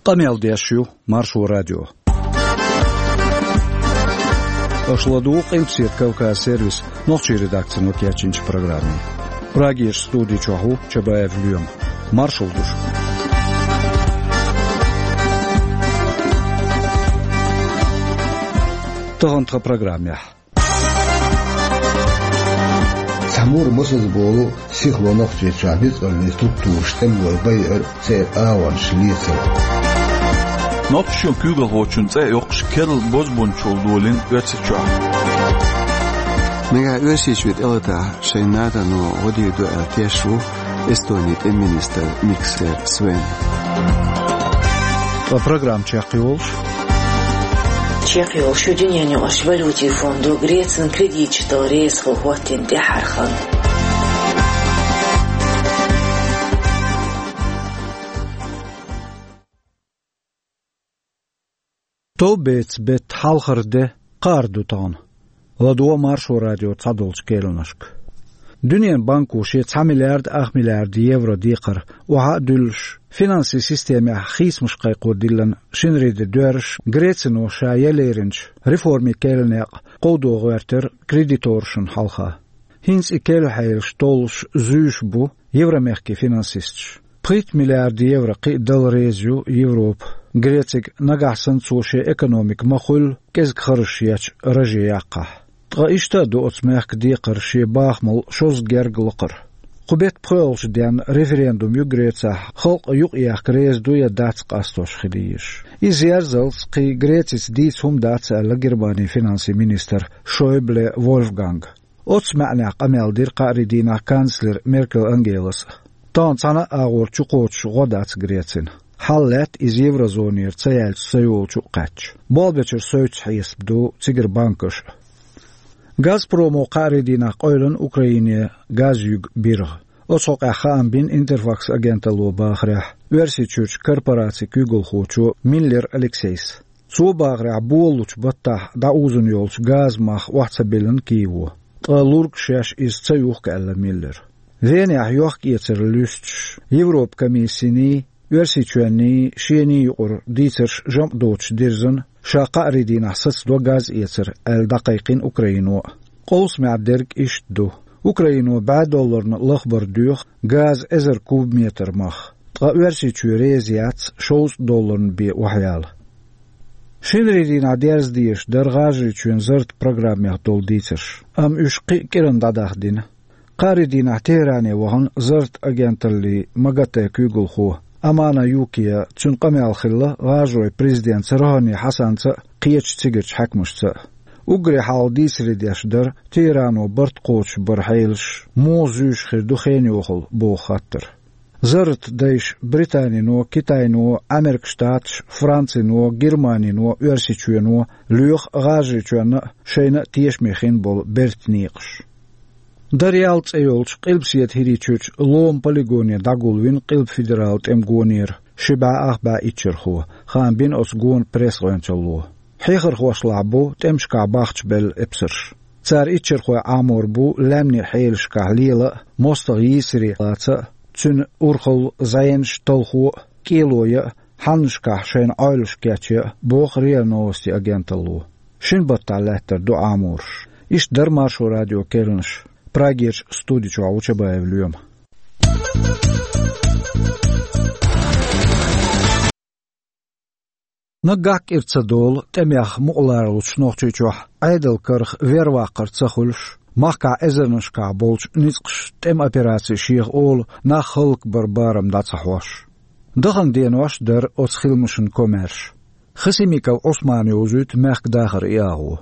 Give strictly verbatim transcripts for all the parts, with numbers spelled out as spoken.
Къамел деш ю Маршо радио. Аша ладугӀу Къилбаседа Кавказ сервисан нохчийн редакцино кечйинчу программе. Прагерчу студи чохь ву Чабаев Лоьма. Маршалла ду шуьга. Тахана тхан программехь. Цхьа мур мосазза болу сихло Нохчийчохь ницкъаллин структураш тӀемалой байъар, церан агӀонаш лецар. Нохчийчоьнан куьйгалхочун цӀе а йоккхуш, керла бозбунчалла долийна Оьрсийчохь. Нагахь Оьрсийчоь тӀелатахь, шайн НАТО-но гӀо дийр ду аьлла теш ву Эстонин тӀеман министр Миксер Свен. Ткъа программа чекхйолуш. Чекхйолуш ю дуьненаюкъарчу валютийн фондо Грецина кредиташ дала реза хила хӀоттийна тӀаьххьара хан. Товбеца беттан хьалхара де кхаар ду тахана. ЛадогӀа Маршо радион цхьадолчу керланашка. Дуьненан банко шен цхьа миллиард ах миллиард евро декхар охьа а дуьллуш, финансийн системехь хийцамаш кхайкхо диллина шинарин де доьрзуш, Грецино ша ян леринчу реформийн керлан некъ кховдо гӀоьртира кредиторашна хьалха. ХӀинца и керла хьелаш толлуш зуьйш бу Евромехкан финансисташ. Пхийтта миллиард евро кхин а дала реза ю Европа Грецига, нагахь санна цо шен экономика ма-хуьллу кӀезиг харжаш ечу раже яккхахь. Ткъа иштта а ду оцу мехкан декхар шен бахамал шозза герга лакхара. Кху беттан пхоьалгӀачу денна референдум ю Грецехь, халкъ юкъаехка реза ду я дац къастош хила езаш. Иза ерзалц кхин Грецица дийца хӀума дац, аьлла Германин финансийн министра Шойбле Вольфганга. Оцу маьӀнехь къамел дира кхаарин дийнахь канцлера Меркел Ангелас а. Тахана цхьана а агӀор чукхочуш гӀо дац Грецина. Хьал лаьтта иза еврозонера ца яьлча ца йолчу а кхаьчча. Болх бечуьра совцуш хьесап ду цигара банкаш а. Газпромо кхаарин дийнахь къевлина Украине газ юьгу биргӀа. Оцу хьокъехь хаам бина Интерфакс агенталло бахарехь, Оьрсийчуьрчу корпорацин куьйгалхочо Миллер Алексейс. Цо бахарехь, болалучу баттахь дӀаузун йолчу газан мах охьа ца биллина Киево. Ткъа лург шаьш иза ца юхку, аьлла Миллера. Венехь йохк-эцар луьстуш, Европан комиссиний, Оьрсийчоьнний, шений юкъара дийцарш жамӀ доцуш дирзина, ша кхаарин дийнахь сацадо газ эцар, аьлла дӀакхайкхина Украино а. Къовсамехь дерг иштта ду. Украино бӀе долларна лахбар доьху газан эзар кубометр мах. Ткъа Оьрсийчоь реза яц шовзткъа долларна бен охьаяла. Шинарин дийнахь дерза дезаш дара ГӀажарийчоьнан зарратан программех долу дийцарш, амма уьш кхин а кӀиранна дӀадаха дина. Кхаарин дийнахь Тегеране вахана зарратан агенталлин МАГАТЭ куьйгалхо Амана Юкия, цуьнан къамел хилла ГӀажаройн президентаца Рохани Хьасанца а, кхечу цигарчу хьаькамашца а. Уггаре хьалха дийцаре деш дара Тегерано барт кхочуш баран хьелаш муха зуьйш хир ду хенан йохалла боху хаттар. Зарратан дайша Британино, Китайно, Ӏамеркан Штаташ, Францино, Германино, Оьрсийчоьно лоьху ГӀажарийчоьнна а, шайна а тешаме хин болу бертан некъаш. Дарьял цӀе йолчу Къилбаседа ХӀирийчуьрчу Лома полигоне дӀагулвина Къилба федералан тӀеман гонера ши бӀе ах бӀе иччархо, хаам бина оцу гонан пресс-гӀоьнчалло. Хьехархошлахь бу тӀемашкахь бахчабелла эпсарш. Цара иччархой Ӏамор бу лаьмнийн хьелашкахь лела а, мостагӀа йийсаре лаца а, цуьнан урхалла, зӀенаш, талхо а, кӀело ян а, хьаннашкахь шайна Ӏойлуш кечъян а, боху РИА Новости агенталло. Шина баттахь лаьттар ду Ӏамораш. Иштта дара Маршо радион керланаш. Прагерчу студи чохь ву Чабаев Лоьма. Наггахь кӀира ца долу, тӀемех мукъаларлучу Нохчийчохь Ӏедалан карах верваккхар ца хуьлуш, махкахь эзарнашкахь болчу ницкъаша тӀеман операци шеха олу, нах хӀаллакбаран барам дӀа ца хьош. Дахана денош дара оцу хиламашна комаьрша. Хасимиков Ӏусмана йовзуьйту мехкан дахаран и агӀо.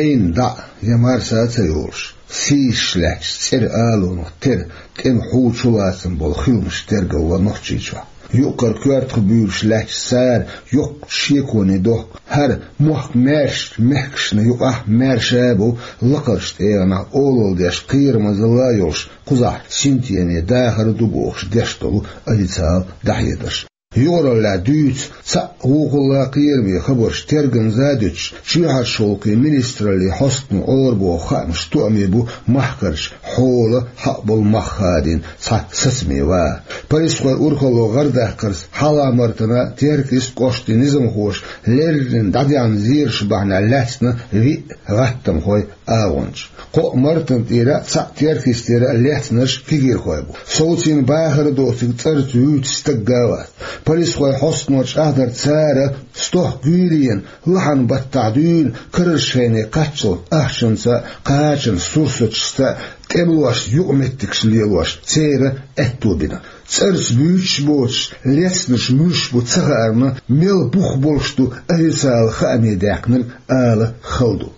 Яйна дӀа а, я марса а ца йолуш, сийсаш лаьтташ цӀера алонах тера, тӀеман хьу чулацам болу хиламаш тергалла Нохчийчохь. Юккъара коьртах буьйлуш лаьтташ цара йоккхачу шеконе дохку. ХӀара мохк маьршачу мехкашна юкъахь маьрша а бу, лакхарчу тӀегӀанахь олалла деш, кхерамазалла а йолуш, кхузахь синтеме дахар а ду бохуш деш долу официалан дӀахьедарш. Юкъараллехь дуьйцу цхьаъ вукхулла кхераме хабарш тергамза а дуьтуш, чоьхьарчу гӀуллакхийн министраллин хьостано Ӏорабоху хаамаш тоьъне бу махкарчу хьолан хьакъ болу мах хадийна цхьа сацаме ван. Полисхойн урхалло гӀардаккхарца, хьалха-мартана Теркйист кӀоштан низамхоша леррина дӀадаьхьна зераш бахьанехь лаьцна виъ гӀаттамхойн агӀончаш. Кхоъ мартана тӀера а, цхьаъ Теркйистера а лецнарш кегийрхой бу. Совцийна бахар а доцург цӀарца вуьйцу стаг а вац. Полисхойн хьостано чӀагӀдарца, цара стохка гуьйренан лахьанан баттахь дуьйна карарчу хене кхаччалц ахчанца а, кхачанан сурсаташца а, тӀемалошца юкъаметтигаш лелош церан аьтто бина. ЦӀарца буьйцуш боцуш лецнарш муьлш бу ца хаарна, мел бух болуш ду официалан хааме даьккхинарг ала хала ду.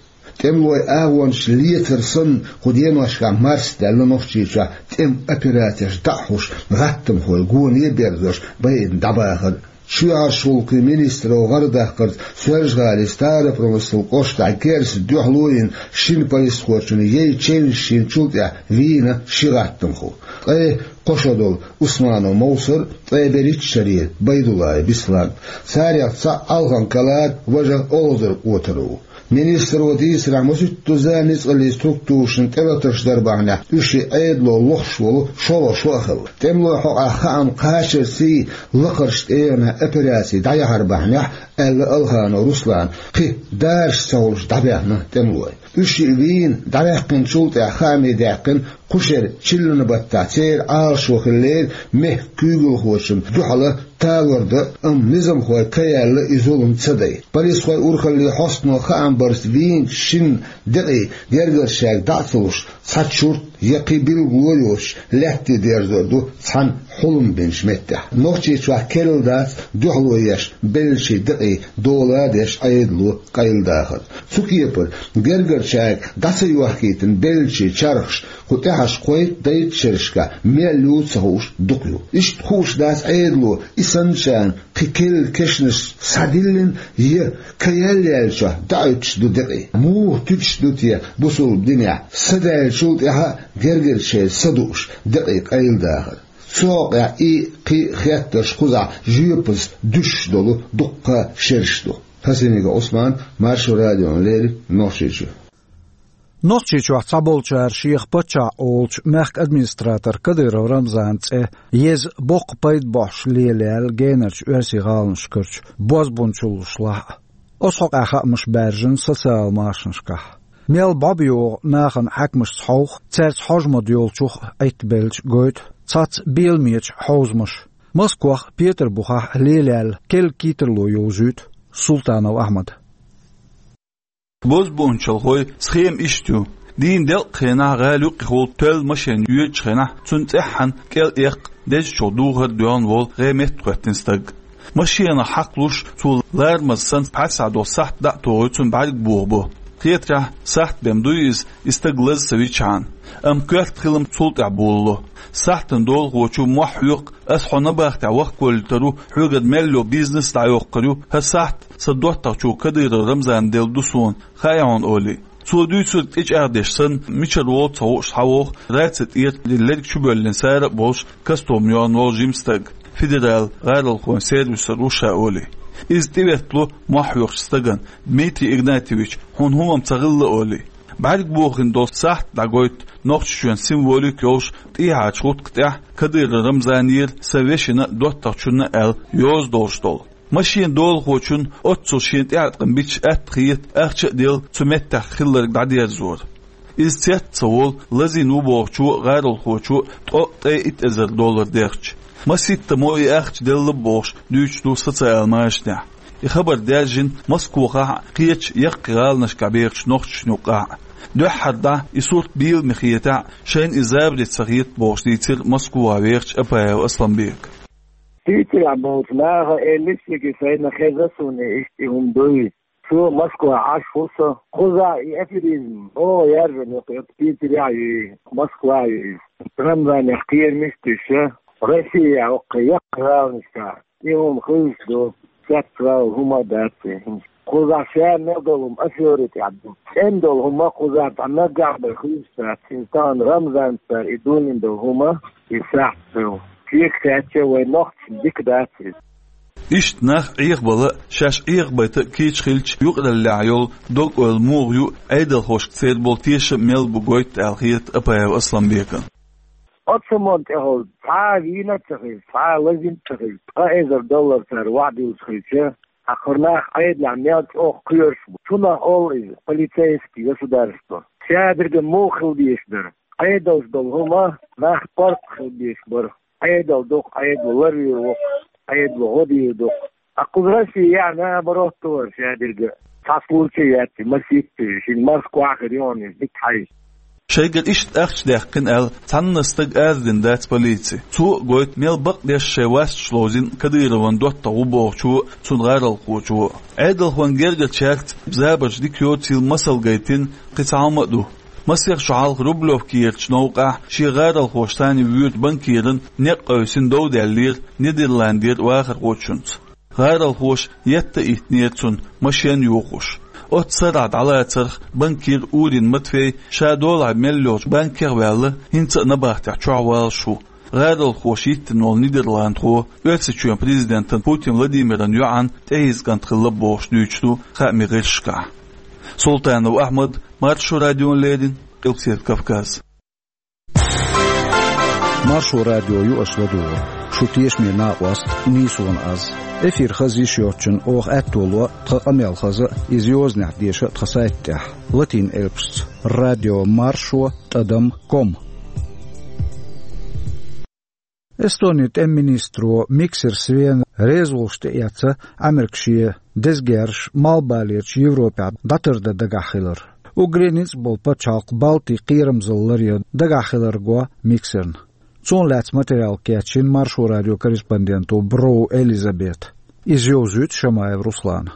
ТӀемалойн агӀончаш лецар санна, кху деношкахь марсадаьлла Нохчийчохь тӀеман операцеш дӀа а хьош, гӀаттамхой гоне а берзош байъина дӀабахар. Чоьхьарчу гӀуллакхийн министралло гӀардаккхарца Соьлжа-ГӀалин Старопромыслан кӀоштахь герзаца дуьхьало йина шина полисхочун яй чевнаш йинчул тӀаьхьа вийна ши гӀаттамхо. Ткъе кхо шо долу Усманов Мовсар, ткъе берхӀитта шарера Байдуллаев Беслан. Царех цхьаъ Алхан Калар, важа Олхазар Отаров. Министралло дийцарехь, масийттазза ницкъаллин структурашна тӀелатарш дар бахьанехь, уьш и Ӏедало лохуш волу шолгӀа шо а хилла. ТӀемалойн хьокъехь хаам кхачарций, лакхарчу тӀегӀанехь операци дӀаяхьар бахьанехь, аьлла Алханов Руслана, кхин дараш ца хуьлуш дӀабаьхна тӀемалой. Уьш и вийна дӀаваьккхинчул тӀаьхьа хааме даьккхина кху шеран чиллан баттахь церан Ӏалашо хиллера мехкан куьйгалхочунна дуьхьал талор дан, амма низамхой ка яьлла и зулам ца дайта. Полисхойн урхаллин хьостано хаам барца вийначу шина декъий гергарчаьрга дӀа а ца луш, цхьа чурт я кхин билгало а йоцуш, лаьтте дерзор ду цхьана хьулам бинчу меттехь. Нохчийчохь керла дац дуьхьало еш беллачийн декъий дола а деш Ӏедало къайладахар. Цу кепара, гергарчаьрга дӀа ца йохкийтина беллачийн чархаш, кху тӀаьхьарчу кхойтта-дейтта шерашкахь мел ю ца хууш дукха ю. Иштта хууш дац Ӏедало и санначарна кхин керла кешнаш схьадиллина я ка яьлла яьллачохь дӀахӀуьттуш ду декъий. Муха туьдуш ду те бусалба динехь са даьллачул тӀаьхьа а гергарчеран са дууш декъий къайладахар? Цу хьокъехь и, кхин а хеттарш кхузахь жоьпаза дуьсуш долу дуккха а шераш ду. Хасимиков Ӏусман, Маршо радиона леррина, Нохчийчоь. Нохчийчохь цхьаболчара шех паччахь олучу мехкан администратор Кадыров Рамзанан цӀе еза, боккха пайда бохьуш лелаяьлла генарчу оьрсийн гӀаланашкарчу бозбунчаллаш лахь а. Оцу хьокъехь хаамаш баьржина социалан машанашкахь. Мел бӀо бан йогӀу нахана хьаькамашца хьовха, цаьрца хьожа ма-догӀу йолчух Ӏиттабелча гойту цхьацца беламечу хьовзамаша. Москвахь а, Петарбухехь а лелаяьлла керла кийсарло йовзуьйту Султанов Ахьмада. Бозбунчалхойн схема иштта ю. Дийнан делкъа хенахь гӀала юккъехула тоьлла машен йоьдучу хенахь, цунна цӀеххьана кӀел эккха, дезачух духар а доьгӀна волу гӀеметтахӀоьттина стаг. Машенах хьакхалуш, цо ларамаза санна пхьарсахь долу сахьт дӀа а тухий, цунна бӀаьрг бохабо. Хетарехь, сахьт бен буй иза, и стаг лаза ца вичхьана. Амма коьрта хилам цул тӀаьхьа болало. Сахьтана долахочо мохь хьоькху: «Ас хьо набахтехь вахкавалийта ву, хьоьгара мел йолу бизнес а дӀайоккхур ю. ХӀара сахьт сан доттагӀчо Кадыров Рамзана делла ду суна, хаьий хьуна?» — олий. Цо дуьйцург тӀечӀагӀдеш санна, мичара волу ца хууш схьавогӀу раци тӀера лерг чубоьллина сара а болуш, костюм йохна волу жима стаг. Федералан гӀаролхойн сервисера ву ша олий. Иза тӀеветтало мохь хьоькхучу стагана: «Дмитрий Игнатьевич, хьуна хӀумма ца хилла», — олий. БӀаьрг бохийна долу сахьт дӀагойту Нохчийчоьнан символика йолуш, тӀехьарчу гӀутка тӀехь Кадыров Рамзанера «Сан вешина а, доттагӀчунна а» аьлла йоза долуш долу. Машенан долахочунна оццул шена тӀеӀаткъам бича атта хета ахча а делла, цу меттехь хилларг дӀадерзор. Иза цец а ца волу, лазийна ву бохучо а, гӀаролхочо а ткъо а, ткъе итт эзар доллар дехча. Маситтаза мо и ахча делла бохуш дуьйцуш ду социалан машанехь. И хабар даьржина Москвахь а, кхечу яккхий гӀаланашкахь бехачу нохчашна юккъехь а. Дуьххьара дӀа и сурт бийламе хетахь а, шайна и забаре ца хета бохуш дийцира Москвахь вехачу Апаев Асланбека. Питерехь болчу наха элира шега, шайна хезна суна иштта и хӀума дуй. Цо Москвахь Ӏаш ву со. Кхузахь и аферизм чӀогӀа яржам йоккху, Питерехь а ю иза, Москвахь а ю иза. Рамзанех кхерамаш а туьйсуш, Россехь а, кху яккхий гӀаланашкахь а и хӀума хуьлуш ду, цецвала хӀума а дац и. Кхузахь ша мел долу хӀума афери тӀехь ду. ЦӀена долу хӀума кхузахь дӀа наггахь бен хуьлуш дац. Иза тахана Рамзанца и дуьйна долу хӀума, и сахьт ду. Шега хаьттича, вайн нохчашна дика дац иза. Иштта нах Ӏехабала а, шаьш Ӏехабайта а кийча хилча, юкъараллехь йолу дог-ойла муха ю, Ӏедалхошка церан болу тешам мел бу гойту аьлла хета Апаев Асланбекана. Оццу мо тӀехула цхьа а вийна а ца хилча, цхьа а лазийна а ца хилча, ткъа эзар доллар цара охьадуьллуш хилча, хьан кхара нах Ӏедалехь мел чӀогӀа кхоьруш бу. Цунах олу иза полицейский государство. Шадерг муха хила дезаш дара? Ӏедалш долу хӀума нах паргӀат хила дезаш бара. Ӏедал дукха, Ӏедало ларвийр ву-кх, Ӏедало гӀо дийр ду-кх. Ткъа кхуза Россия яа наоборот вара шадерг а. Цхьа случай яц, масийтта, шина Москвахь хир ю хьуна иза дика хьаьжча. Шайгара иштта ахча даьккхина аьлла, цхьанна стага арадина дац полици. Цо а гойту, мел бакъдеш шайн васташ ловзийна Кадыровн доттагӀа ву бохучо а, цуьнан гӀаролхочо а. Ӏедалхойн гергарчаьрца забарш дика йоцийла масал гайтина кхин цхьа хӀума а ду. Масех шо хьалха Рублевкерчу новкъахь шен гӀаролхоша санна воьдучу банкиран некъ къевсина дов даьллера Нидерландера вахархочуьнца. ГӀаролхоша етта а йиттинера цунна, машен а йохош. Оццу сарахь дӀалацарх банкир Урин Матвей ша долахь мел йолчу банкех а ваьлла, хӀинца а набахтехь чохь валлалц ву. ГӀаролхоша йиттина волу нидерландхо Оьрсийчоьнан президентан Путин Владимиран йоӀан тӀехьийза кӀант хилла бохуш дуьйцуш ду хаамийн гӀирсашкахь. Султанов Ахьмад, Маршо радиона леррина, Къилбаседа Кавказ. Маршо радио ю аша ладугӀург. Шу тешаме накъост нийсонан аз. Эфир хаза йиш йоцчунна оха аьтто ло тхан къамел хаза а, иза йозанехь деша а тхан сайта тӀехь, латин элпашца: радио маршо тӀадам ком. Эстонин тӀеман министро Миксер Свена реза волуш тӀеэцна Ӏамерка шен деза герзаш Малхбалерчу Европехь дӀатардан дагахь хилар. Уггаре ницкъ болу пачхьалкх Балти кхерамзалла ларъян дагахь хилар го Миксерна. Цунах лаьцна материал кечйина Маршо радион корреспонденто Броу Элизабета. Иза йовзуьйту Шамаев Руслана.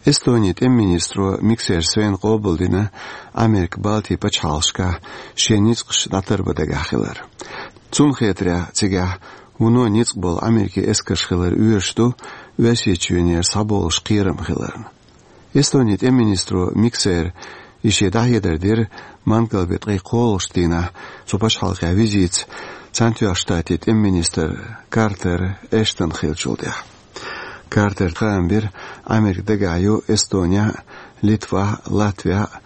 Эстонин тӀеман министро Миксер Свена къобалдина Ӏамерка Балти пачхьалкхашкахь шен ницкъаш дӀатарбан дагахь хилар. Цунна хетарехь, цигахь вуно ницкъ болу Ӏамеркин эскарш хилар оьшуш ду Оьрсийчоьнера схьаболуш кхерам хиларна. Эстонин тӀеман министро Миксера и шен дӀахьедар дира мангал беттан ткъе кхоалгӀачу дийнахь цу пачхьалкхехь визитца Цхьаьнатоьхначу Штатийн тӀеман министр Картер Эштон хиллачул тӀаьхьа. Картера хаам бира, Ӏамерка дагахь ю Эстонехь а, Литвахь а, Латвехь а,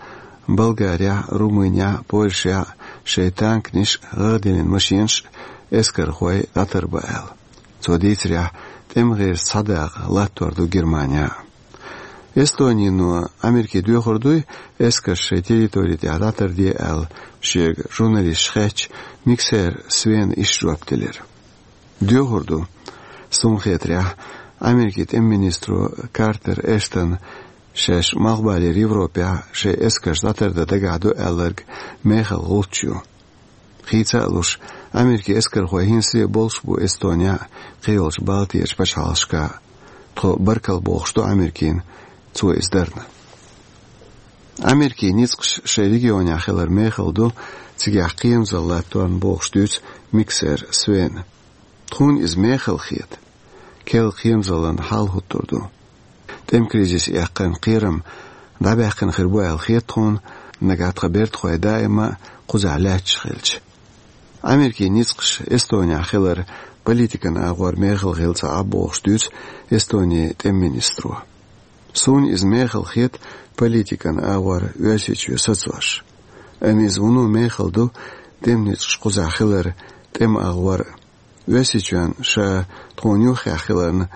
Болгарехь а, Румынехь а, Польшехь а шайн танканаш а, гӀагӀ диллина машенаш а, эскархой дӀатарбан аьлла. Цо дийцарехь, тӀеман гӀирс цхьа дакъа латтор ду Германехь а. Эстонино Ӏамеркина доьхур дуй эскарш шайн территори тӀехь дӀатарде аьлла, шега журналисташа хаьттича, Миксер Свена иштта жоп делира: «Доьхур ду. Суна хетарехь, Ӏамеркин тӀеман министро Картер Эштона шаьш Малхбалера Европехь шайн эскарш дӀатардан дагахь ду аьлларг мехала гӀулч ю. Хийца а луш, Ӏамеркин эскархой хӀинца а болуш бу Эстонехь а, кхийолчу Балтийчу пачхьалкхашкахь а. Тхо баркалла бохуш ду Ӏамеркина цо иза дарна». Ӏамеркин ницкъаш шайн регионехь хилар мехала ду, цигахь кхерамзалла латторна бохуш дуьйцу Миксер Свена. Тхуна иза мехала хета. Керла кхерамзаллина хьал хӀуттур ду. ТӀеман кризис эккхина кхерам дӀабаьккхина хир бу аьлла хета тхуна, нагахь тхан бертахой даима а кхузахь лаьтташ хилча. Ӏамеркин ницкъаш Эстонехь хилар политикан агӀор мехала хилла ца Ӏа бохуш дуьйцу Эстонин тӀеман министро. Суна иза мехала хета политикан агӀор Оьрсийчоь сацош. Амма иза вуно мехала ду тӀеман ницкъаш кхузахь хилар тӀеман агӀор а. Оьрсийчоьнна ша тхуна юххехь хиларна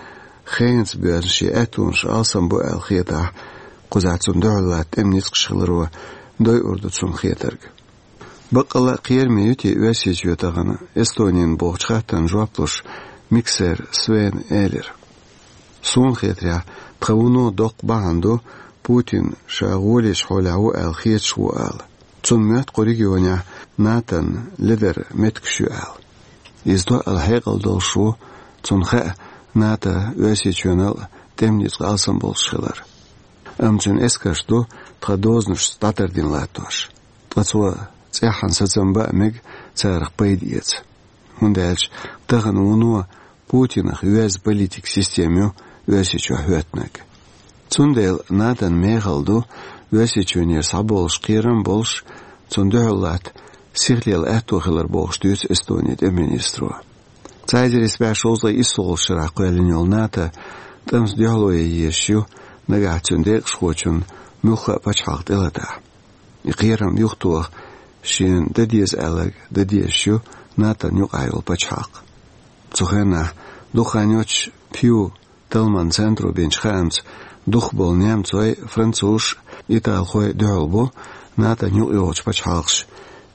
хенаца боьзна шен аьттонаш алсам бу аьлла хетахь, кхузахь цунна дуьхьал латта тӀеман ницкъаш хиларо дойур ду цунна хетарг. Баккъалла а кхераме ю те Оьрсийчоь тахана Эстонина бохучу хаттарна жоп луш, Миксер Свена элира: «Суна хетарехь, тхан вуно доккха бахьана ду Путин ша гӀолечу хьолехь ву аьлла хеташ ву ала. Цунна моьтту кху регионехь НАТОн лидеран меттигаш ю аьлла. Иза тоъал хьекъал долуш ву, цунна хаьа НАТОн Оьрсийчоьнал а тӀеман ницкъ алсам болуш хилар. Амма цуьнан эскарш ду тхан дозанашца дӀатардина латтош. Ткъа цо цӀеххьана сацам бан а мега царах пайда эца. ХӀунда аьлча тахана вуно Путинах йоьзна политикан система ю Оьрсийчохь хӀоьттинарг. Цундела НАТОн мехала ду Оьрсийчоьнера схьаболуш кхерам а болуш, цунна дуьхьал латта сихлела аьтто хилар», — бохуш дуьйцу Эстонин тӀеман министро. Цхьа эзар исс бӀе шовзткъе исслагӀча шерахь кхоьллина йолу НАТО тӀамца дуьхьало ян езаш ю, нагахь цуьнан декъашхочун муьлхха а пачхьалкх тӀелатахь. И кхерам юхатоха шена дан деза аьлларг дан дезаш ю НАТО-н юкъахь йолу пачхьалкх. Цу хенахь дукха хан йоццуш Пью Талманан центро бинчу хаамца, дукхахболу немцой, французаш, италхой дуьхьал бу НАТО-н юкъайогӀучу пачхьалкхаша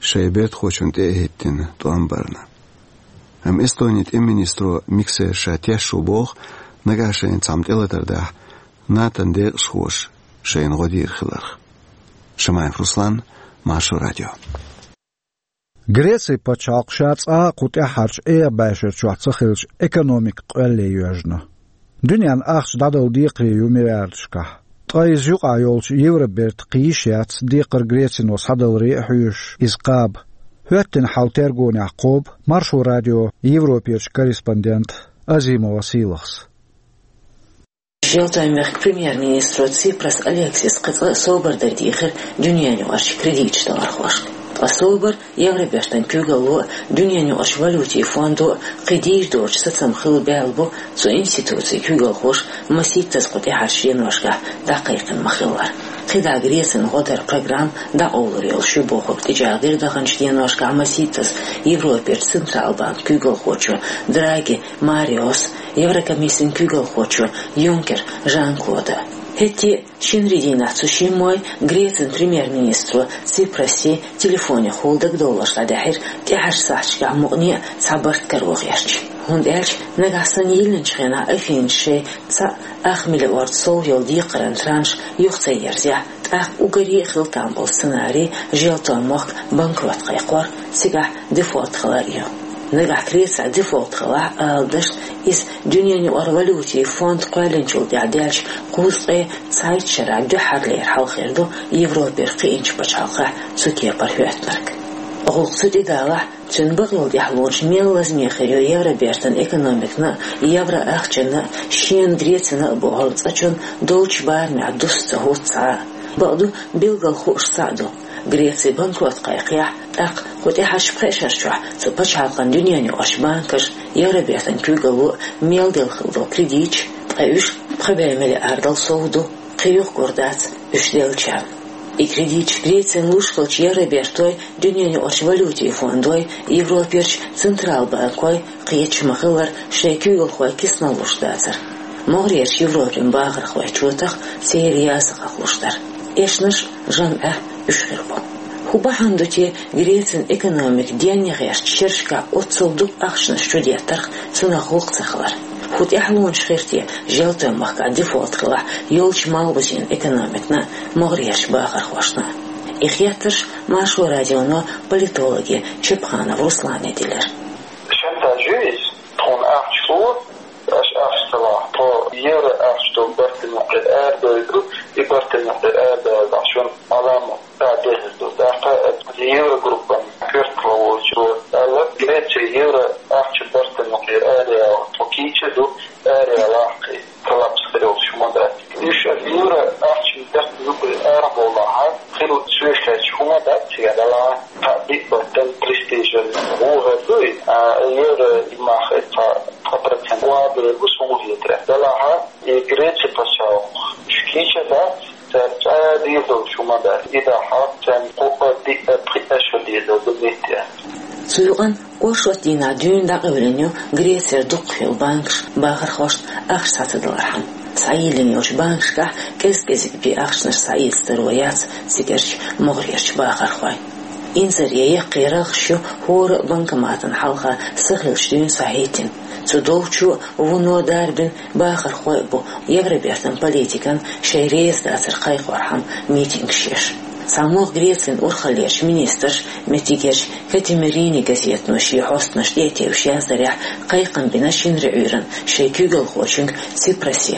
шайн бертахочунна тӀе а хӀиттина тӀом барна. Амма Эстонин тӀеман министро Миксер ша тешна ву боху, нагахь шайна цхьамма тӀелатар дахь, НАТО-н декъашхоша шайна гӀо дийр хиларх. Шамаев Руслан, Маршо радио. Грецин пачхьалкх ша цкъа а кху тӀаьххьарчу эха бӀешарчохь ца хилча, экономика къоьлле йоьжна. Дуьненна ахча дӀадала декхаре ю миллиардашкахь. Ткъа иза юкъахь йолчу Евроберта кхийса яц, декхар Грецино схьадаларе а хьоьжуш, иза кхаба. ХӀоьттина хьал тергонехь кхобу Маршо радион Европерчу корреспондента Азимова Сийлахьс. Желтойн мехкан премьер-министро Ципрас Алексиса кхин цкъа а собар дан дийхира дуьненаюкъарчу кредиташ далархошка. Ткъа собар Евробертан куьйгалло а, дуьненаюкъарчу валютийн фондо а кхин дийр доцу сацам хила баьлла бу цу институцин куьйгалхоша масийттаза кху тӀаьхьарчу деношкахь дӀакхайкхина ма-хиллара. КхидӀа Грецина гӀо даран программа дӀакъовлур йолуш ю бохург тӀечӀагӀдира даханчу деношкахь масийттаза Европерчу Централан банкан куьйгалхочо Драги Мариос, Еврокомиссин куьйгалхочо Юнкер Жан-Клода. ХӀетте а, шинарин дийнахь цу шиммой Грецин премьер-министро Ципрасе телефонехула дагадовларш дӀадаьхьира тӀаьхьарчу сахьташкахь мукъане а цхьа барт каро гӀерташ. ХӀунда аьлча нагахь санна йиллинчу хенахь Афинас шайн цхьаъ ах миллиард сов йолу декхаран транш юха ца ерзахь, тӀаккха уггаре а хила там болу сценарий желтойн мохк банкрот кхайкхор, цигахь дефолт хилар ю. Нагахь Грецехь дефолт хилахь а, ала дашна, иза дуьненаюкъара валютийн фонд кхоьллинчул тӀаьхьа даьллачу кхузткъе цхьайтта шарахь дуьххьарлера хьал хир ду Европера кхиъначу пачхьалкхехь цу кепара хӀоьттинарг. ГӀуллакх цу тӀе далахь, цуьнан бакъйолу тӀаьхьалонаш мел лазаме хир ю Евробертан экономикана а, евро ахчанна а, шена Грецина а бохург цкъачунна долчу барамехь дуста ца хӀутту цхьа а. Бакъду, билггал хууш цхьаъ ду: Греци банкрот кхайкхахь, тӀаккха кху тӀаьхьарчу пхеа шарчохь цу пачхьалкхан дуьненаюкъарчу банкаша, Евробертан куьйгалло а мел делла хилла долу кредиташ, ткъа уьш пхи бӀе миллиардал сов ду, кхин юхагур дац уьш деллачарна. И кредиташ Грецина луш хилча, Евробертой, дуьненаюкъарчу валютийн фондой, Европерчу Централан банкой кхеташ ма-хиллара шайн куьйгалхой кисанал луш дацара. МогӀарерчу Европин бахархой чотах церан яздан хьакъ луш дара. Эшнаш а, жамӀаш а уьш хир бу. ХӀун бахьана ду те Грецин экономика денна гӀертачу шерашкахь оццул дукха ахчанаш чудеттарх, цунах гӀуллакх ца хилар? ХӀун тӀаьхьалонаш хир те желтойн махкахь дефолт хилахь йолчу малхбузен экономикана а, могӀарерчу бахархошна а? И хеттарш Маршо радионо политологе Чепханов Руслане делира. Шантаж ю иза, тхуна ахча ло, аша ахча ца лахь, тхо евро ахча долу барт юкъера арадойду, и барт юкъера арадоьллехь шуна Ӏаламат дӀадехир ду. ТӀаккха еврогруппан коьртало волчо аьлла, Греция евро ахча барт юкъера араяла тхо кийча ду, араяла кхин талаб хир йолуш хӀума дац. Уьш евро ахча барт юкъера арабовлахь, хир соьшкаьчча хӀума дац, цигахь далахь, кхин биъ баттан престижан вугӀар дуй, а, евро и мах цхьа, цхьа процент вабер бу суна хетарехь. Далахь, и Греци пачхьалкх уьш кийча дац, цара цкъа а дийр долуш хӀума дац. И дахьа царна кху а, диъ а, пхиъ а шо дийр долу ду метте. Цу юкъана оршот дийнахь дуьйна дӀакъевлина ю Грецера дукхахйолу банкаш бахархошна ахча схьа ца далархьама. Схьайиллина йолчу банкашкахь кӀез-кӀезиг бен ахчанаш схьаэцадаро яц цигарчу могӀарерчу бахархойн. Инзаре яккхий рагӀаш ю хӀора а банкоматан хьалха са хиллачу дуьйна схьахӀиттина. Цу долчо а, вуно а дарбина бахархой а бу Евробертан политикана шайн реза дацар кхайкхорхьама митингаш еш. ЦхьамогӀа Грецин урхаллерчу министраша, меттигерчу «Катимерини» газетано шен хьостанаш тӀе а тевжаш яздарехь, кхайкхам бина шинарин Ӏуьйранна шайн куьйгалхочуьнга Ципрасе,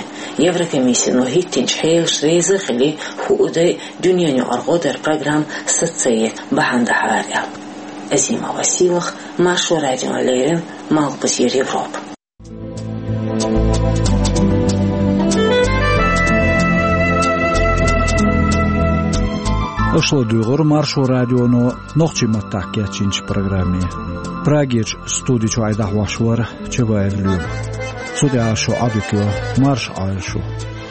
Еврокомиссино хӀиттинчу хьелашна реза а хилий, хӀуъу дай дуьненаюкъара гӀо даран программа саца ца ян бахьана дахьара аьлла. Азимова Сийлахь, Маршо радиона леррина, Малхбузера Европа. Аша ладугӀура Маршо радионо нохчийн маттахь кечйинчу программе. Прагерчу студи чохь и дӀахьош вара Чабаев Лоьма. Цу тӀехь шун Ӏадика йо, марша Ӏойла шу.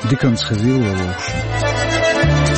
Диканца хезийла вовшашна.